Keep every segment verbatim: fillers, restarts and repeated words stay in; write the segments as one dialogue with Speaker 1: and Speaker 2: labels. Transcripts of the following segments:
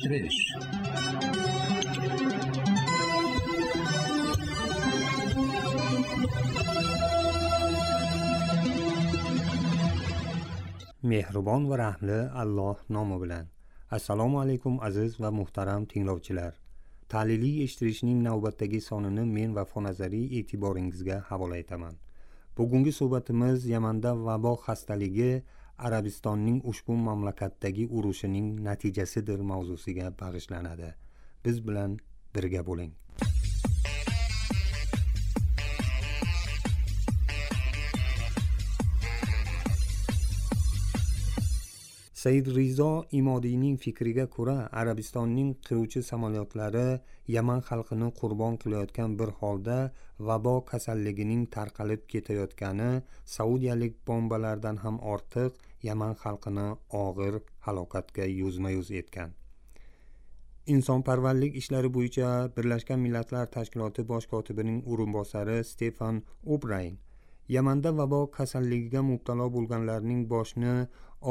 Speaker 1: eshtirish.
Speaker 2: Mehribon va rahmli Alloh nomi bilan. Assalomu alaykum aziz va muhtaram tinglovchilar. Tahliliy eshittirishning navbatdagi sonini men va fonazariy e'tiboringizga havola etaman. Bugungi suhbatimiz Yamanda vabo xastaligi Arabistonning ushbu mamlakatdagi urushining natijasidir mavzusiga bag'ishlanadi. Biz bilan birga bo'ling. Said Rizo Imodiyning fikriga ko'ra, Arabistonning qiruvchi samolyotlari Yaman xalqini qurbon qilayotgan bir holda vabo kasalligining tarqalib ketayotgani saudiyalik bombalardan ham ortiq Yaman xalqini og'ir halokatga yuzma-yuz etgan. Insonparvarlik ishlari bo'yicha Birlashgan Millatlar Tashkiloti bosh kotibining o'rinbosari Stefan O'Brayn Yamanda vabo kasalligiga mubtalo bo'lganlarning boshni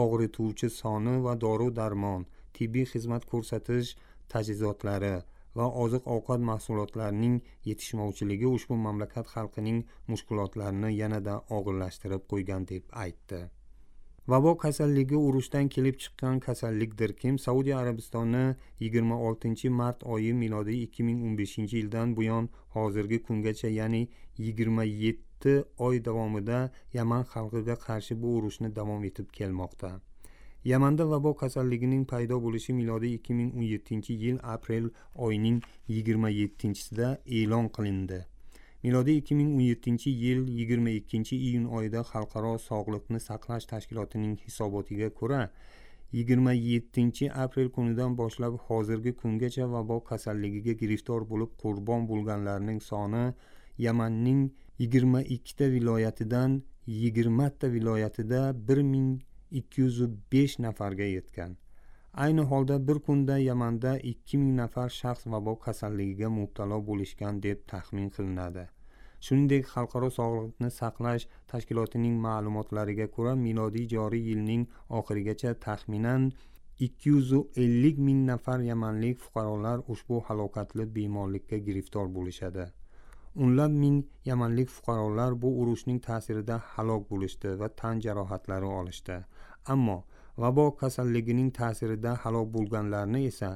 Speaker 2: og'rituvchi soni va dori-darmon, tibbiy xizmat ko'rsatish tajhizotlari va oziq-ovqat mahsulotlarining yetishmovchiligi ushbu mamlakat xalqining mushkulotlarini yanada og'irlashtirib qo'ygan deb aytdi. Vabo kasalligi urushdan kelib chiqqan kasallikdir. Kim Saudiya Arabistoni yigirma oltinchi mart oyi milodiy ikki ming o'n beshinchi yildan buyon hozirgi kungacha, ya'ni yigirma yetti oy davomida Yaman xalqiga qarshi bu urushni davom etib kelmoqda. Yamanda vabo kasalligining paydo bo'lishi milodiy ikki ming o'n yettinchi yil aprel oyining yigirma yettinchisida e'lon qilindi. Milodiy ikki ming o'n yettinchi yil yigirma ikkinchi iyun oyida Xalqaro sog'liqni saqlash tashkilotining hisobotiga ko'ra, yigirma yettinchi aprel kunidan boshlab hozirgi kungacha vabo kasalligiga giriftor bo'lib qurbon bo'lganlarning soni Yamanning yigirma ikkita viloyatidan yigirma ta viloyatida bir ming ikki yuz besh nafarga yetgan. Ayni holda bir kunda Yamanda ikki ming nafar shaxs vabo kasalligiga mubtalo bo'lishgan deb taxmin qilinadi. Shuningdek, Xalqaro sog'liqni saqlash tashkilotining ma'lumotlariga ko'ra, milodiy joriy yilning oxirigacha taxminan ikki yuz ellik ming nafar yamanlik fuqarolar ushbu halokatli bemorlikka giriftor bo'lishadi. O'nlab ming yamanlik fuqarolar bu urushning ta'sirida halok bo'lishdi va tan jarohatlari olishdi. Ammo vabo kasalligining ta'sirida halok bo'lganlarni esa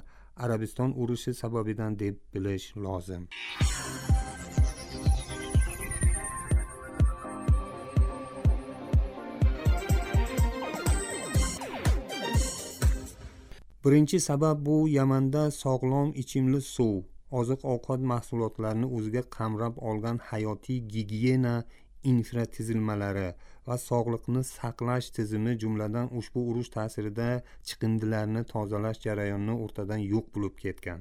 Speaker 2: Arabiston urushi sababidan deb bilish lozim. Birinchi sabab bu Yamanda sog'lom ichimlik suv, oziq-ovqat mahsulotlarini o'ziga qamrab olgan hayotiy gigiyena infratuzilmalari va sog'liqni saqlash tizimi, jumladan ushbu urush ta'sirida chiqindilarni tozalash jarayoni o'rtadan yo'q bo'lib ketgan.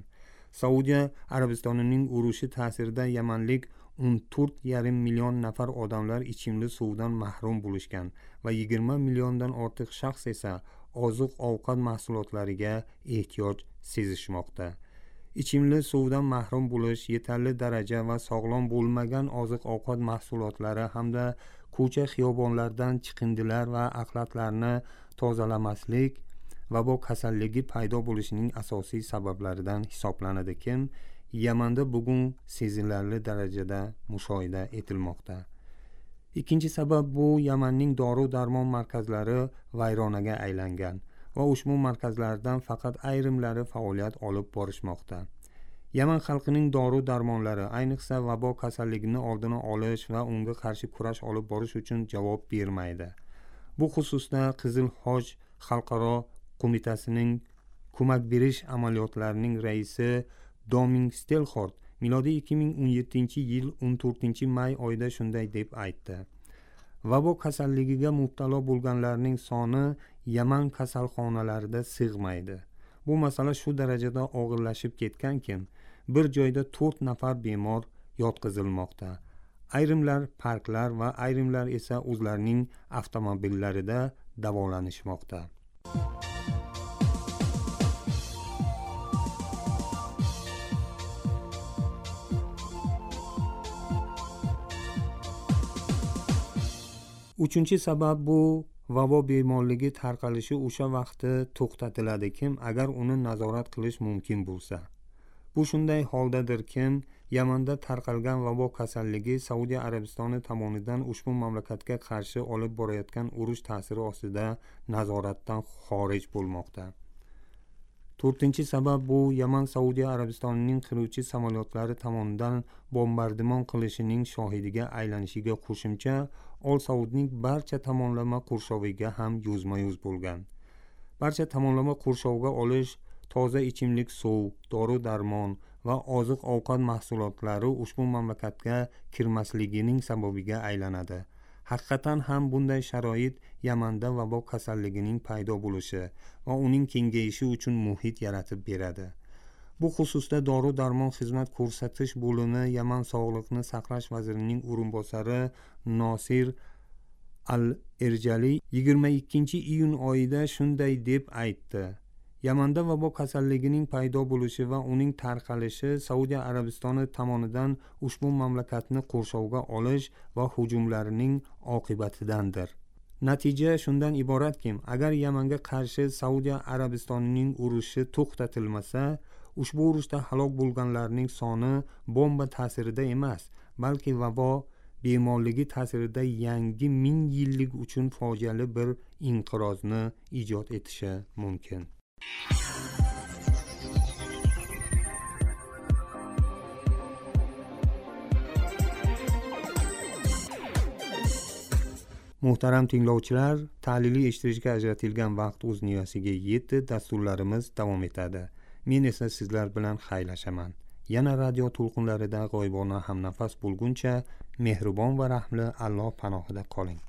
Speaker 2: Saudiya Arabistonining urushi ta'sirida yamanlik o'n to'rt yarim million nafar odamlar ichimlik suvdan mahrum bo'lishgan va yigirma milliondan ortiq shaxs esa oziq-ovqat mahsulotlariga ehtiyoj sezishmoqda. Ichimlik suvdan mahrum bo'lish, yetarli daraja va sog'lom bo'lmagan oziq-ovqat mahsulotlari hamda ko'cha xiyobonlardan chiqindilar va axlatlarni tozalamaslik vabo kasalligi paydo bo'lishining asosiy sabablaridan hisoblanadi. Kim Yamanda bugun sezilarli darajada mushohida etilmoqda. Ikkinchi sabab bu Yamanning dori-darmon markazlari vayronaga aylangan va ushbu markazlardan faqat ayrimlari faoliyat olib borishmoqda. Yaman xalqining dori-darmonlari, ayniqsa vabo kasalligini oldini olish va unga qarshi kurash olib borish uchun javob bermaydi. Bu xususda Qizil Hoj xalqaro qo'mitasining ko'mak berish amaliyotlarining raisi Doming Stelxort milodiy ikki ming o'n yettinchi yil o'n to'rtinchi may oyida shunday deb aytdi. Vabo kasalligiga mubtalo bo'lganlarning soni Yaman kasalxonalarida sig'maydi. Bu masala shu darajada og'irlashib ketganki, bir joyda to'rt nafar bemor yotqizilmoqda. Ayrimlar parklar va ayrimlar esa o'zlarining avtomobillarida davolanishmoqda. Uchinchi sabab bu vabo bemorligi tarqalishi o'sha vaqtda to'xtatiladiki, agar uni nazorat qilish mumkin bo'lsa. Bu shunday holdadirki, Yamanda tarqalgan vabo kasalligi Saudiya Arabistoni tomonidan ushbu mamlakatga qarshi olib borayotgan urush ta'siri ostida nazoratdan xorij bo'lmoqda. to'rtinchi sabab bu Yaman Saudiya Arabistonining qiruvchi samolyotlari tomonidan bombardimon qilishining shohidiga aylanishiga qo'shimcha Ol Saudning barcha tomonlama qurshoviga ham yuzma-yuz bo'lgan. Barcha tomonlama qurshovga olish toza ichimlik suv, dori-darmon va oziq-ovqat mahsulotlari ushbu mamlakatga kirmasligining sababiga aylanadi. Haqiqatan ham bunday sharoit Yamanda vabo kasalligining paydo bo'lishi va uning kengayishi uchun muhit yaratib beradi. Bu xususda dori-darmon xizmat ko'rsatish bo'limi Yaman sog'liqni saqlash vazirining o'rinbosari Nosir Al-Erjali yigirma ikkinchi iyun oyida shunday deb aytdi: Yamanda vabo kasalligining paydo bo'lishi va uning tarqalishi Saudiya Arabistoni tomonidan ushbu mamlakatni qurshovga olish va hujumlarining oqibatidandir. Natija shundan iboratki, agar Yamanga qarshi Saudiya Arabistonining urushi to'xtatilmasa, ushbu urushda halok bo'lganlarning soni bomba ta'sirida emas, balki vabo bemorligi ta'sirida yangi ming yillik uchun fojiali bir inqirozni ijod etishi mumkin. Muhtaram tinglovchilar, ta'lili eshittirishga ajratilgan vaqt o'z nihosiga yetdi. Dasturlarimiz davom etadi. Men esa sizlar bilan xayrlashaman. Yana radio to'lqinlarida g'oyibona hamnafas bo'lguncha mehribon va rahmli Alloh panohida qoling.